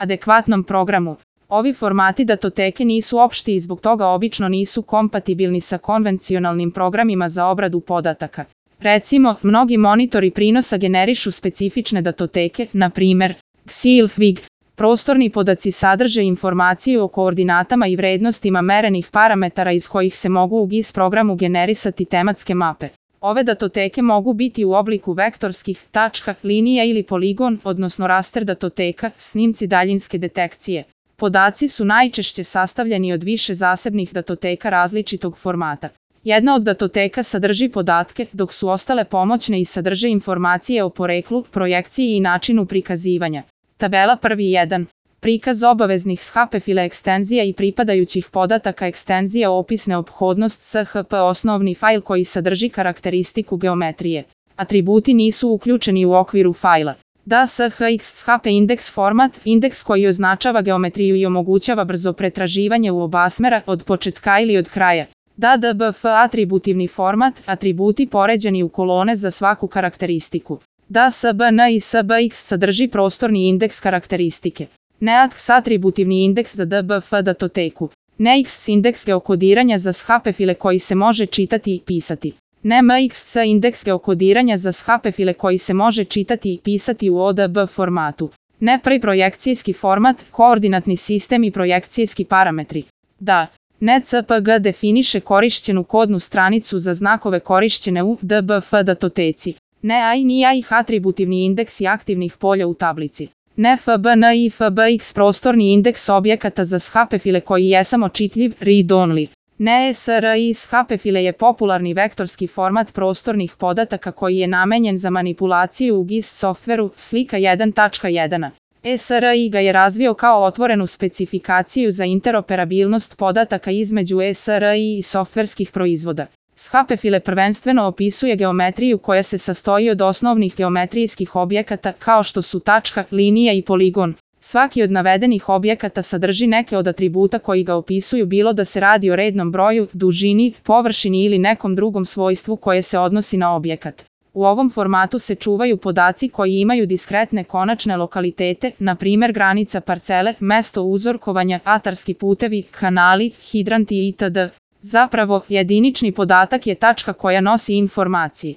adekvatnom programu. Ovi formati datoteke nisu opšti i zbog toga obično nisu kompatibilni sa konvencionalnim programima za obradu podataka. Recimo, mnogi monitori prinosa generišu specifične datoteke, na primer, XILFWIG. Prostorni podaci sadrže informaciju o koordinatama i vrednostima merenih parametara iz kojih se mogu u GIS programu generisati tematske mape. Ove datoteke mogu biti u obliku vektorskih, tačka, linija ili poligon, odnosno raster datoteka, snimci daljinske detekcije. Podaci su najčešće sastavljeni od više zasebnih datoteka različitog formata. Jedna od datoteka sadrži podatke, dok su ostale pomoćne i sadrže informacije o poreklu, projekciji i načinu prikazivanja. Tabela 1.1. Prikaz obaveznih SHP file ekstenzija i pripadajućih podataka ekstenzija opisne ophodnost SHP osnovni fajl koji sadrži karakteristiku geometrije. Atributi nisu uključeni u okviru fajla. DSHX-SHP indeks format, indeks koji označava geometriju i omogućava brzo pretraživanje u oba smera, od početka ili od kraja. DDBF atributivni format, atributi poređeni u kolone za svaku karakteristiku. DSBN i SBX sadrži prostorni indeks karakteristike. NEAX atributivni indeks za DBF datoteku. NEIX indeks geokodiranja za SHP file koji se može čitati i pisati. NEMIX indeks geokodiranja za SHP file koji se može čitati i pisati u ODB formatu. NEPRI projekcijski format, koordinatni sistem i projekcijski parametri. NECPG definiše korišćenu kodnu stranicu za znakove korišćene u DBF datoteci. NEAI NIAIH atributivni indeksi aktivnih polja u tablici. NFBN i FBX prostorni indeks objekata za SHP file koji je samo čitljiv, read-only. NESRI SHP file je popularni vektorski format prostornih podataka koji je namenjen za manipulaciju u GIS softveru, slika 1.1. SRI ga je razvio kao otvorenu specifikaciju za interoperabilnost podataka između SRI i softverskih proizvoda. SHP file prvenstveno opisuje geometriju koja se sastoji od osnovnih geometrijskih objekata kao što su tačka, linija i poligon. Svaki od navedenih objekata sadrži neke od atributa koji ga opisuju, bilo da se radi o rednom broju, dužini, površini ili nekom drugom svojstvu koje se odnosi na objekat. U ovom formatu se čuvaju podaci koji imaju diskretne konačne lokalitete, na primer granica parcele, mesto uzorkovanja, atarski putevi, kanali, hidranti itd. Zapravo, jedinični podatak je tačka koja nosi informacije.